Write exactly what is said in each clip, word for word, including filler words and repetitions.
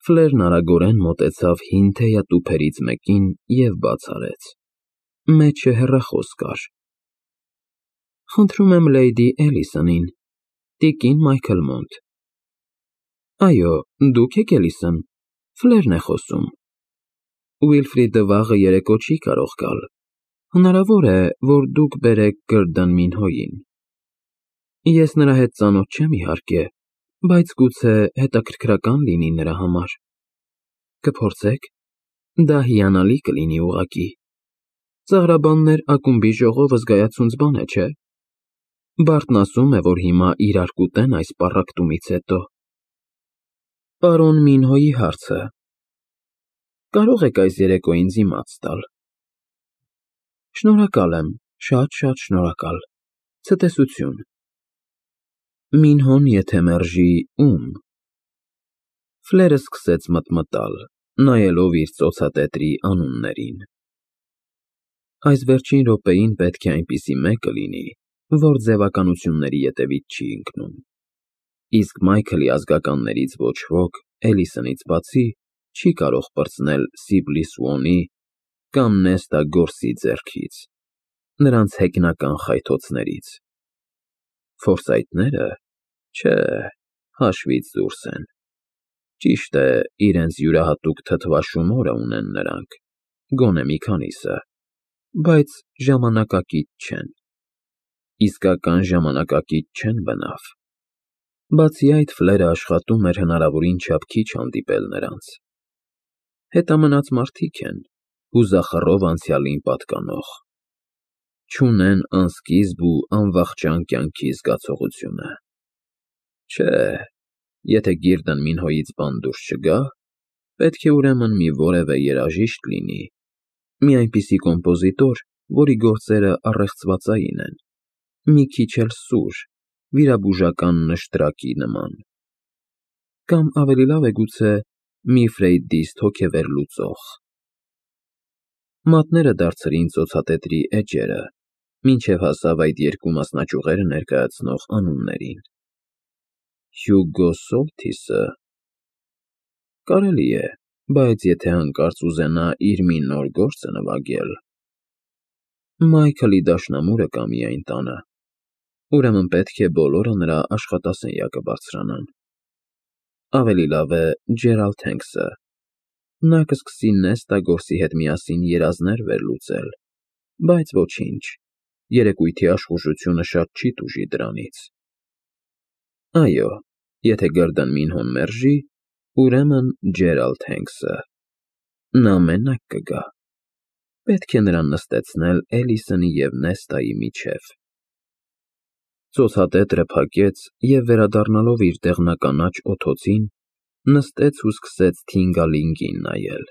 Ֆլերն արագորեն մոտեցավ հին թեյատուփերից մեկին և բաց արեց։ Մեջը հեռախոս կար։ Խնդրում եմ լեյդի Էլիսոնին, տիկին Մայքլմոնթ։ Այո, դուք եք Էլիսոն, Ֆլերն է խոսում։ Ուիլֆրիդը վաղը երեկո չի կարող գալ, հնարավոր է, որ դուք բերեք Գըրդն Մինհոյին։ Ես նրա հետ ծանոթ չեմ, իհարկե, բայց գուցե հետաքրքրական լինի նրա համար։ Կփորձե՞ք։ Դա հիանալի կլինի ուղղակի։ Ծաղրաբաններ ակումբի ժողովը զգայացունց բան է, չէ՞։ Բարտն ասում է, որ հիմա իրար կուտեն այս պառակտումից հետո։ Պարոն Մինհոյի հարցը։ Կարո՞ղ եք այս երեկո ինձ իմաց տալ։ Շնորհակալ եմ, շատ-շատ շնորհակալ։ Ցտեսություն։ Մինհոն եթե մերժի, ում։ Ֆլերը սկսեց մտմտալ, նայելով իր ծոցատետրի անուններին։ Այս վերջին րոպեին պետք է այնպիսի մեկը լինի, որ ձևականությունների ետևից չի ընկնում։ Իսկ Մայքլի ազգականներից ոչ ոք, Էլիսոնից բացի, չի կարող պրծնել Սիբլի Սուոնի կամ Նեստա Գորսի ձեռքից, նրանց հեգնական խայթոցներից։ Ֆորսայթները, չէ, հաշվից դուրս են։ Ճիշտ է, իրենց յուրահատուկ թթվաշում օրը ունեն նրանք, գոնե մի քանիսը, բայց ժամանակակից չեն։ Իսկական ժամանակակից չեն բնավ։ Բացի այդ, Ֆլերը աշխատում էր հնարավորին չափ քիչ հանդիպել նրանց։ Հետամնաց մարդիկ են, հուզախռով անցյալին պատկանող։ Չունեն անսկիզբ ու անվախճան կյանքի զգացողությունը։ Չէ, եթե Գիրդն Մինհոյից բան դուրս չգա, պետք է ուրեմն մի որևէ երաժիշտ լինի, մի այնպիսի կոմպոզիտոր, որի գործերը առեղծվածային են, մի քիչ էլ սուր, վիրաբուժական նշտրակի նման։ Կամ ավելի լավ է գուցե մի ֆրեյդիստ հոգեվերլուծող։ Մատները դարձրին ծոցատետրի էջերը, մինչև հասավ այդ երկու մասնաճյուղերը ներկայացնող անուններին։ Հյուգո Սոլթիսը։ Կարելի է, բայց եթե հանկարծ ուզենա իր մի նոր գործը նվագել… Մայքլի դաշնամուրը կա միայն տանը, ուրեմն պետք է բոլորը նրա աշխատասենյակը բարձրանան։ Ավելի լավ է Ջերալդ Հենքսը։ Նա կսկսի Նեստա Գորսի հետ միասին երազներ վերլուծել, բայց ոչինչ, երեկույթի աշխուժությունը շատ չի տուժի դրանից։ Այո, եթե Գըրդն Մինհոն մերժի, ուրեմն Ջերալդ Հենքսը։ Նա մենակ կգա։ Պետք է նրան նստեցնել Էլիսոնի և Նեստայի միջև։ Ծոցատետրը փակեց և, վերադառնալով իր դեղնականաչ օդոցին, նստեց ու սկսեց Թինգալինգին նայել։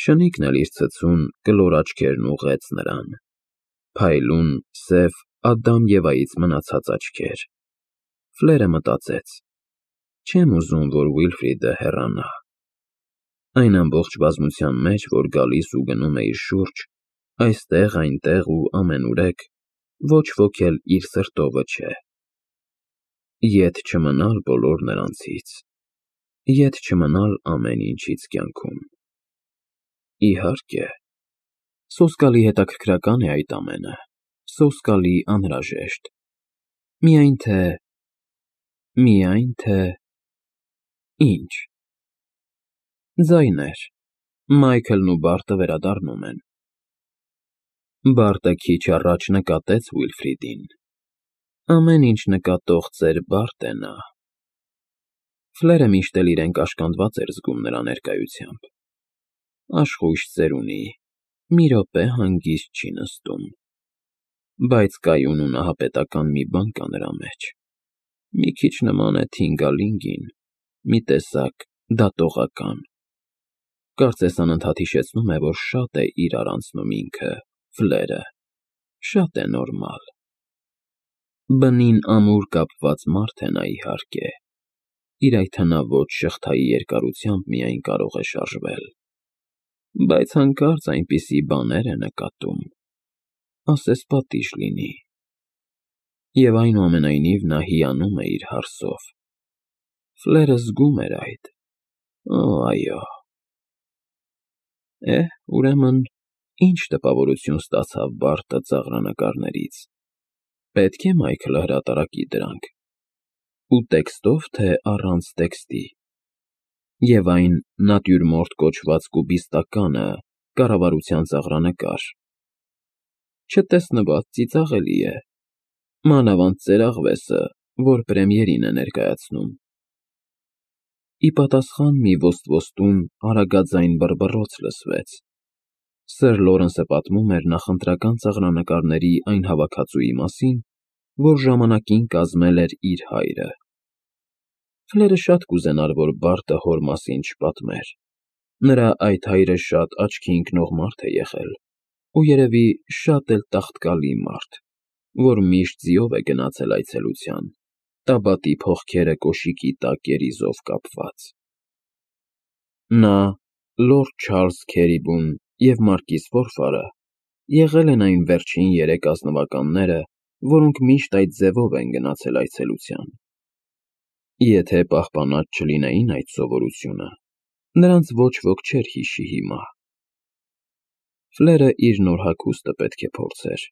Շնիկն էլ իր ցցուն, կլոր աչքերն ուղղեց նրան։ Փայլուն, սև, Ադամ Եվայից մնացած աչքեր։ Ֆլերը մտածեց. չեմ ուզում, որ Ուիլֆրիդը հեռանա։ Այն ամբողջ բազմության մեջ, որ գալիս ու գնում է իր շուրջ, այստեղ, այնտեղ ու ամենուրեք, ոչ ոք էլ իր սրտովը չէ։ Ետ չմնալ բոլոր նրանցից, ետ չմնալ ամեն ինչից կյանքում։ Իհարկե, սոսկալի հետաքրքրական է այդ ամենը, սոսկալի անհրաժեշտ։ Միայն թե… միայն թե… Ինչ։ Ձայներ… Մայքլն ու Բարտը վերադառնում են։ Բարտը քիչ առաջ նկատեց Ուիլֆրիդին։ Ամեն ինչ նկատող ծեր Բարդ է նա։ Ֆլերը միշտ էլ իրեն կաշկանդված էր զգում նրա ներկայությամբ։ Աշխույժ ծերունի, մի րոպե հանգիստ չի նստում։ Բայց կայուն ու նահապետական մի բան կա նրա մեջ։ Մի քիչ նման է Թինգալինգին, մի տեսակ դատողական։ Կարծես անընդհատ հիշեցնում է, որ շատ է իրար անցնում ինքը, Ֆլերը, շատ է նորմալ։ Բնին ամուր կապված մարդ է նա, իհարկե, իր այդ հնաոճ շղթայի երկարությամբ միայն կարող է շարժվել։ Բայց հանկարծ այնպիսի բաներ է նկատում, ասես պատիժ լինի։ Եվ այնուամենայնիվ նա հիանում է իր հարսով։ Ֆլերը զգում էր այդ, Օ, այո։ Էհ, ուրեմն, ինչ տպավորություն ստացավ Բարտը ծաղրանկարներից, պետք է Մայքլը հրատարակի դրանք, ու տեքստով, թե առանց տեքստի, և այն նատյուրմորտ կոչված կուբիստականը կառավարության ծաղրանկար, չտեսնված ծիծաղելի է, մանավանդ ծերաղվեսը, որ պրեմիերին է ներկայացնում։ Ի պատասխան մի ոստվոստուն արագաձայն բռբռոց լսվեց. Սըր Լորենսը պատմում էր նախընտրական ծաղրանկարների այն հավաքածուի մասին, որ ժամանակին կազմել էր իր հայրը։ Ֆլերը շատ կուզենար, որ Բարտը հոր մասին չպատմեր. նրա այդ հայրը շատ աչքի ընկնող մարդ է եղել ու երևի շատ էլ տաղտկալի մարդ, որ միշտ ձիով է գնացել այցելության, տաբատի փողքերը կոշիկի տակ երիզով կապված։ Նա, լորդ Չարլզ Քերիբուն և մարկիզ Ֆորֆարը եղել են այն վերջին երեք ազնվականները, որոնք միշտ այդ ձևով են գնացել այցելության։ Եթե պահպանած չլինեին այդ սովորությունը, նրանց ոչ ոք չէր հիշի հիմա։ Ֆլերը իր նոր հագուստը պետք է փորձեր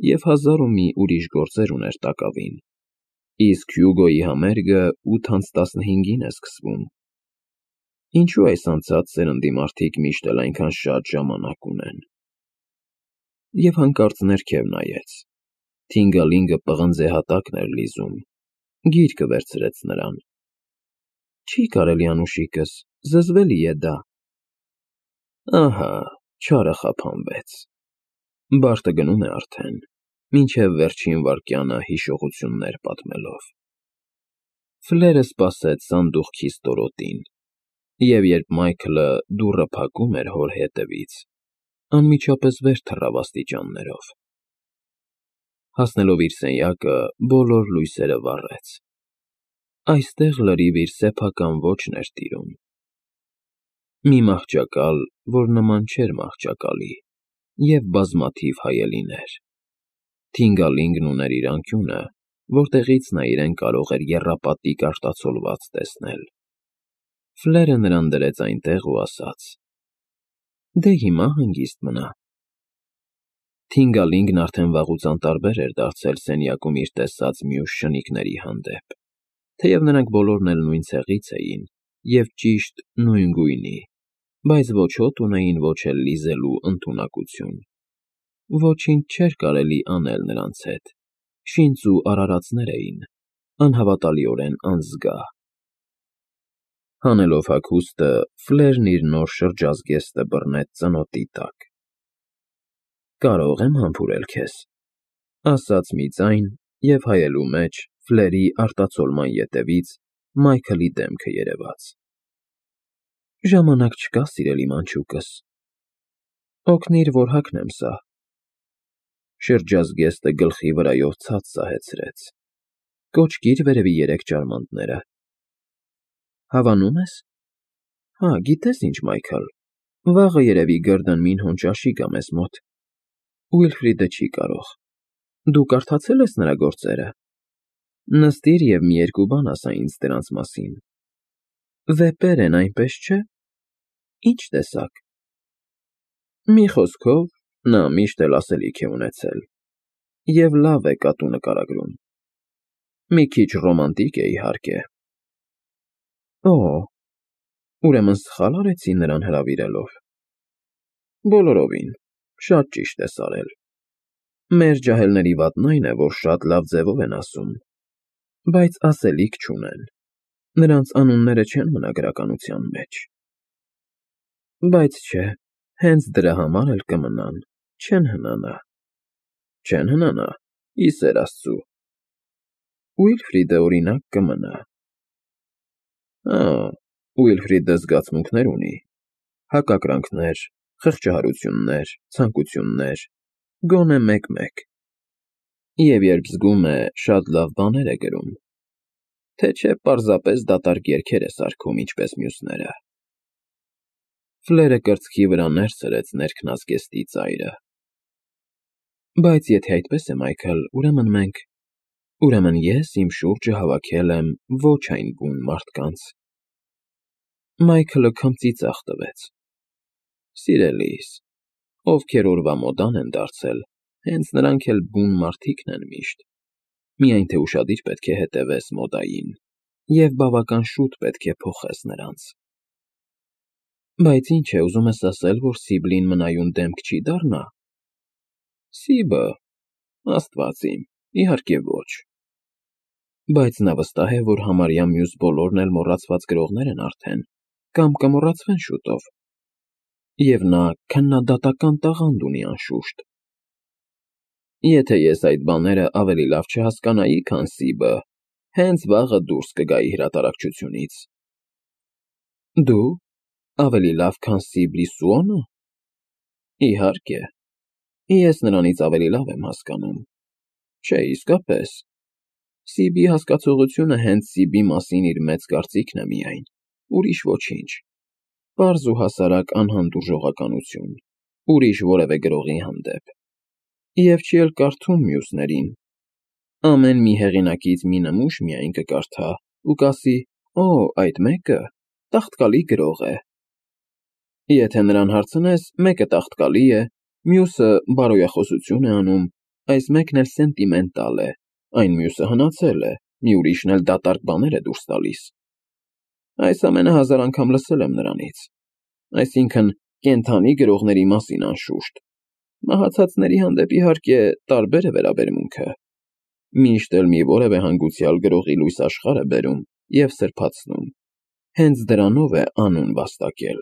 և հազար ու մի ուրիշ գործեր ուներ տակավին, իսկ Հյուգոյի համերգը ութ անց տասնհինգին է սկսվում։ Ինչու այս անցած սերնդի մարդիկ միշտ էլ այնքան շատ ժամանակ ունեն։ Եվ հանկարծ ներքև նայեց. Թինգալինգը պղնձե հատակն էր լիզում, գիրկը վերցրեց նրան։ Չի կարելի, անուշիկս, զզվելի է դա։ Ահա, չարը խափանվեց։ Բարտը գնում է արդեն, մինչև վերջին վայրկյանը հիշողություններ պատմելով։ Ֆլերը սպասեց սանդուղքի ստորոտին, և երբ Մայքլը դուռը փակում էր հոր հետևից, անմիջապես վեր թռավ աստիճաններով։ Հասնելով իր սենյակը, բոլոր լույսերը վառեց։ Այստեղ լրիվ իր սեփական ոճն էր տիրում։ Մի մահճակալ, որ նման չէր մահճակալի, և բազմաթիվ հայելիներ։ Թինգալինգն ուներ իր անկյունը, որտեղից նա իրեն կարող էր եռապատիկ արտացոլված տեսնել։ Ֆլերը նրան դրեց այնտեղ ու ասաց. Դե հիմա հանգիստ մնա։ Թինգալինգն արդեն վաղուց անտարբեր էր դարձել սենյակում իր տեսած մյուս շնիկների հանդեպ, թեև նրանք բոլորն էլ նույն ցեղից էին և ճիշտ նույն գույնի, բայց ոչ հոտ ունեին, ոչ էլ լիզելու ընդունակություն։ Ոչինչ չէր կարելի անել նրանց հետ, շինծ ու արարածներ էին, անհավատալիորեն անզգա։ Հանելով հագուստը, Ֆլերն իր նոր շրջազգեստը բռնեց ծնոտի տակ։ Կարո՞ղ եմ համբուրել քեզ, ասաց մի ձայն, և հայելու մեջ, Ֆլերի արտացոլման ետևից, Մայքլի դեմքը երևաց։ Ժամանակ չկա, սիրելի մանչուկս։ Օգնիր, որ հագնեմ սա։ Շրջազգեստը գլխի վրայով ցած սահեցրեց։ Կոճկիր վերևի երեք ջարմանդները։ Հավանո՞ւմ ես։ Հա, գիտես ինչ, Մայքլ, վաղը երևի Գըրդընմին հոն ճաշի գա մեզ մոտ։ Ուիլֆրիդը չի կարող։ Դու կարդացե՞լ ես նրա գործերը։ Նստիր և մի երկու բան ասա ինձ դրանց մասին։ Վեպեր են, այնպես չէ։ Ի՞նչ տեսակ։ Մի խոսքով, նա միշտ էլ ասելիք է ունեցել, և լավ է կատու նկարագրում։ Մի քիչ ռոմանտիկ է, իհարկե։ Օ, ուրեմն սխալ արեցի նրան հրավիրելով։ Բոլորովին, շատ ճիշտ ես արել։ Մեր ջահելների վատն այն է, որ շատ լավ ձևով են ասում, բայց ասելիք չունեն, նրանց անունները չեն մնա գրականության մեջ։ Բայց չէ, հենց դրա համար էլ կմնան, չեն հնանա։ Չեն հնանա, ի սեր Աստծու։ Ուիլֆրիդը, օրինակ, կմնա։ Հա, Ուիլֆրիդը զգացմունքներ ունի, հակակրանքներ, խղճահարություններ, ցանկություններ, գոնե մեկ֊մեկ, և երբ զգում է, շատ լավ բաներ է գրում, թե չէ պարզապես դատարկ երգեր է սարքում, ինչպես մյուսները։ Ֆլերը կրծքի վրա ներս սրեց ներքնազգեստի ծայրը։ Բայց եթե այդպես է, Մայքլ, ուրեմն մենք… Ուրեմն ես իմ շուրջը հավաքել եմ ոչ այն բուն մարդկանց։ Մայքլը քմծիծաղ տվեց։ Սիրելիս, ովքեր օրվա մոդան են դարձել, հենց նրանք էլ բուն մարդիկն են միշտ, միայն թե ուշադիր պետք է հետևես մոդային և բավական շուտ պետք է փոխես նրանց։ Բայց ինչ է, ուզում ես ասել, որ Սիբլին մնայուն դեմք չի դառնա։ Սիբը, աստված իմ, իհարկե ոչ։ Բայց նա վստահ է, որ համարյա մյուս բոլորն էլ մոռացված գրողներ են արդեն, կամ կմոռացվեն շուտով։ Եվ նա քննադատական տաղանդ ունի անշուշտ։ Եթե ես այդ բաները ավելի լավ չհասկանայի, քան Սիբը, հենց վաղը դուրս կգայի հրատարակչությունից։ Դու… ավելի լավ, քան Սիբլի Սուոնը։ Իհարկե, ես նրանից ավելի լավ եմ հասկանում։ Չէ, իսկապես, Սիբի հասկացողությունը հենց Սիբի մասին իր մեծ կարծիքն է միայն, ուրիշ ոչինչ, պարզ ու հասարակ անհանդուրժողականություն, ուրիշ որևէ գրողի հանդեպ, և չի էլ կարդում մյուսներին, ամեն մի հեղինակից մի նմուշ միայն կկարդա ու կասի. «Օ, այդ մեկը տաղտկալի գրող է»։ Եթե նրան հարցնես, մեկը տաղտկալի է, մյուսը բարոյախոսություն է անում, այս մեկն էլ սենտիմենտալ է, այն մյուսը հնացել է, մի ուրիշն էլ դատարկ բաներ է դուրս տալիս։ Այս ամենը հազար անգամ լսել եմ նրանից, այսինքն՝ կենդանի գրողների մասին անշուշտ, մահացածների հանդեպ, իհարկե, տարբեր է վերաբերմունքը, միշտ էլ մի որևէ հանգուցյալ գրողի լույս աշխարհ է բերում և սրբացնում, հենց դրանով է անուն վաստակել։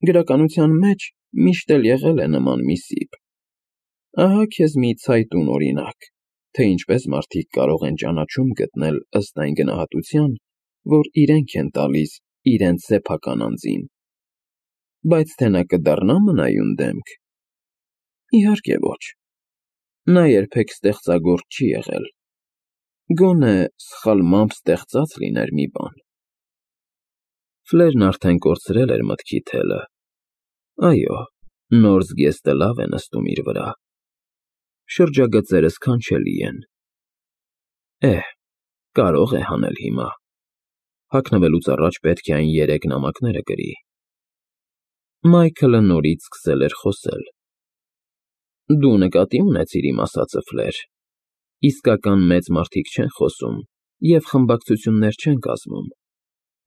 Գրականության մեջ միշտ էլ եղել է նման մի Սիբ։ Ահա քեզ մի ցայտուն օրինակ, թե ինչպես մարդիկ կարող են ճանաչում գտնել ըստ այն գնահատության, որ իրենք են տալիս իրենց սեփական անձին։ Բայց թե նա կդառնա մնայուն դեմք։ Իհարկե ոչ։ Նա երբեք ստեղծագործ չի եղել։ Գոնե սխալմամբ ստեղծած լիներ մի բան։ Ֆլերն արդեն կորցրել էր մտքի թելը։ Այո, նոր զգեստը լավ է նստում իր վրա։ Շրջագծերը սքանչելի են։ Էհ, կարող է հանել հիմա։ Հագնվելուց առաջ պետք է այն երեք նամակները գրի։ Մայքլը նորից սկսել էր խոսել. Դու նկատի ունեցիր իմ ասածը, Ֆլեր, իսկական մեծ մարդիկ չեն խոսում և խմբակցություններ չեն կազմում,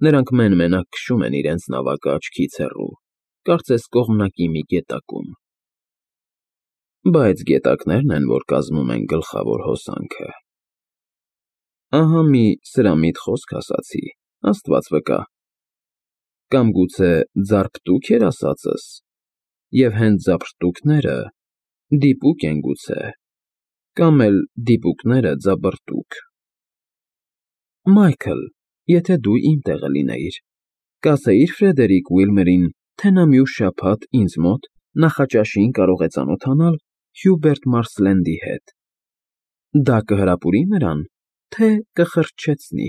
նրանք մեն֊մենակ քշում են իրենց նավակը աչքից հեռու, կարծես կողմնակի մի գետակում։ Բայց գետակներն են, որ կազմում են գլխավոր հոսանքը։ Ահա մի սրամիտ խոսք ասացի, աստված վկա։ Կամ գուցե ձարպտուք էր ասածս, և հենց ձապրտուքները դիպուկ են գուցե, կամ էլ դիպուկները ձաբրտուք։ Մայքլ, եթե դու իմ տեղը լինեիր, կասեի՞ր Ֆրեդերիկ Ուիլմերին, թե նա մյուս շաբաթ ինձ մոտ նախաճաշին կարող է ծանոթանալ Հյուբերտ Մարսլենդի հետ։ Դա կհրապուրի նրան, թե կխրճեցնի։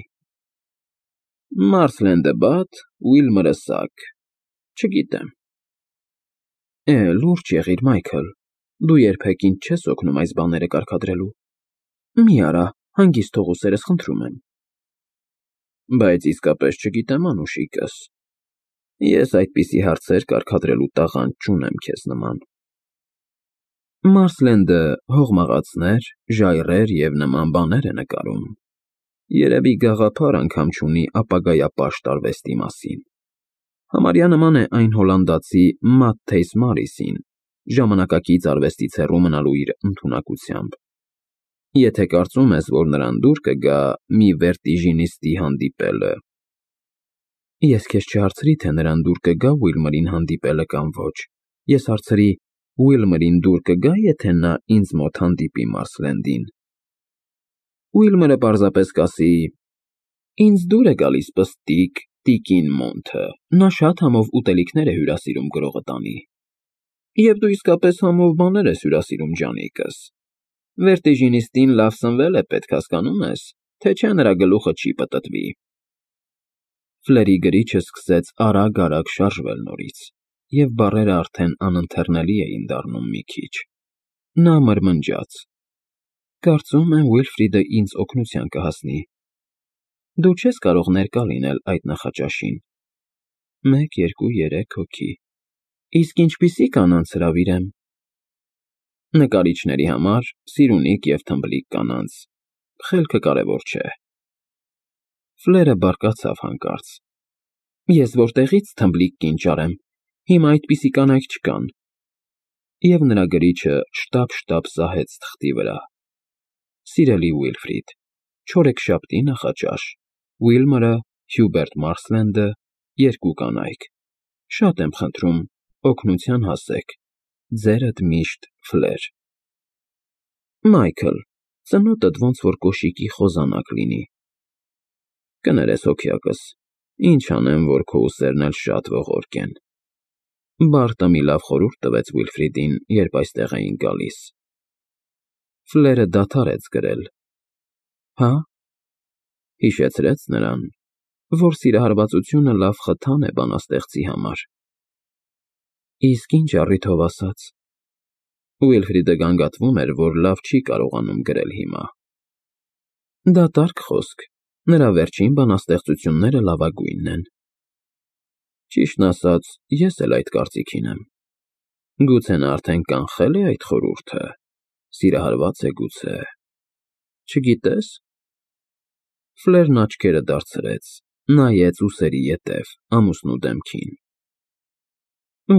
Մարսլենդը բադ, Ուիլմերը սակ, չգիտեմ։ Է, լուրջ եղիր, Մայքլ, դու երբեք ինձ չես օգնում այս բաները կարգադրելու։ Մի արա, հանգիստ թող ուսերս, խնդրում եմ։ Բայց իսկապես չգիտեմ, անուշիկս, ես այդպիսի հարցեր կարգադրելու տաղանդ չունեմ քեզ նման։ Մարսլենդը հողմաղացներ, ժայռեր և նման բաներ է նկարում, երևի գաղափար անգամ չունի ապագայապաշտ արվեստի մասին, համարյա նման է այն հոլանդացի Մատթեյս Մարիսին, ժամանակակից արվեստից հեռու մնալու իր ընդունակությամբ։ Եթե կարծում ես, որ նրան դուր կգա մի վերտիժինիստի հանդիպելը։ Ես քեզ չհարցրի, թե նրան դուր կգա Ուիլմերին հանդիպելը կամ ոչ, ես հարցրի. Ուիլմերին դուր կգա, եթե նա ինձ մոտ հանդիպի Մարսլենդին։ Ուիլմերը պարզապես կասի. Ինձ դուր է գալիս պստիկ, տիկին Մոնթը, նա շատ համով ուտելիքներ է հյուրասիրում գրողը տանի։ Եվ դու իսկապես համով բաներ ես հյուրասիրում ջանիկս։ Վերտիժինիստին լավ սնվել է, պետք հասկանում ես, թե չէ նրա գլուխը չի պտտվի։ Ֆլերի գրիչը սկսեց արագ֊արագ շարժվել նորից, և բառերը արդեն անընթեռնելի էին դառնում մի քիչ։ Նա մրմնջաց. Կարծում եմ Ուիլֆրիդը ինձ օգնության կհասնի։ Դու չես կարող ներկա լինել այդ նախաճաշին։ Մեկ, երկու, երեք հոգի։ Իսկ ինչպիսի կանանց հրավիրեմ։ Նկարիչների համար սիրունիկ և թմբլիկ կանանց, խելքը կարևոր չէ։ Ֆլերը բարկացավ հանկարծ։ Ես որտեղի՞ց թմբլիկ կին ճարեմ, հիմա այդպիսի կանայք չկան։ Եվ նրա գրիչը շտապ֊շտապ սահեց թղթի վրա։ Սիրելի Ուիլֆրիդ, չորեքշաբթի նախաճաշ, Ուիլմորը, Հյուբերտ Մարսլենդը, երկու կանայք։ Շատ եմ խնդրում, օգնության հասեք։ Ձերդ միշտ Ֆլեր։ Մայքլ, ծնոտդ ոնց որ կոշիկի խոզանակ լինի։ Կներես հոգյակս, ինչ անեմ, որ քո ուսերն էլ շատ ողորկ են։ Բարտը մի լավ խորհուրդ տվեց Ուիլֆրիդին, երբ այստեղ էին գալիս։ Ֆլերը դադարեց գրել։ Հա՞։ Հիշեցրեց նրան, որ սիրահարվածությունը լավ խթան է բանաստեղծի համար։ Իսկ ինչ առիթով ասաց։ Ուիլֆրիդը գանգատվում էր, որ լավ չի կարողանում գրել հիմա։ Դատարկ խոսք, նրա վերջին բանաստեղծությունները լավագույնն են։ Ճիշտն ասած, ես էլ այդ կարծիքին եմ։ Գուցե նա արդեն կանխել է այդ խորհուրդը, սիրահարված է գուցե։ Չգիտես։ Ֆլերն աչքերը դարձրեց, նայեց ուսերի ետև, ամուսնու դեմքին։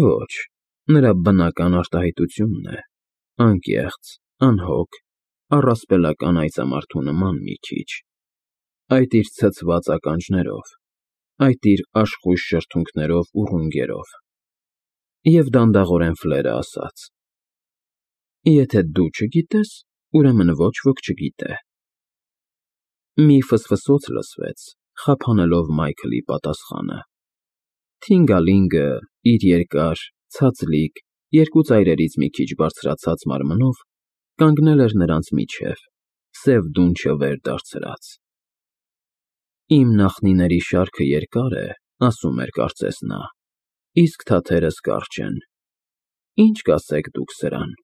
Ոչ, նրա բնական արտահայտությունն է, անկեղծ, անհոգ, առասպելական այծամարդու նման մի քիչ, այդ իր ցցված ականջներով, այդ իր աշխույժ շրթունքներով ու ռունգերով։ Եվ դանդաղորեն Ֆլերը ասաց. Եթե դու չգիտես, ուրեմն ոչ ոք չգիտե։ Մի ֆսֆսոց լսվեց, խափանելով Մայքլի պատասխանը։ Թինգալինգը իր երկար, ցածլիկ, երկու ծայրերից մի քիչ բարձրացած մարմնով կանգնել էր նրանց միջև, սև դունչը վեր դարձրած։ Իմ նախնիների շարքը երկար է, ասում էր կարծես նա, իսկ թաթերս կարճ են։ Ինչ կասեք դուք սրան։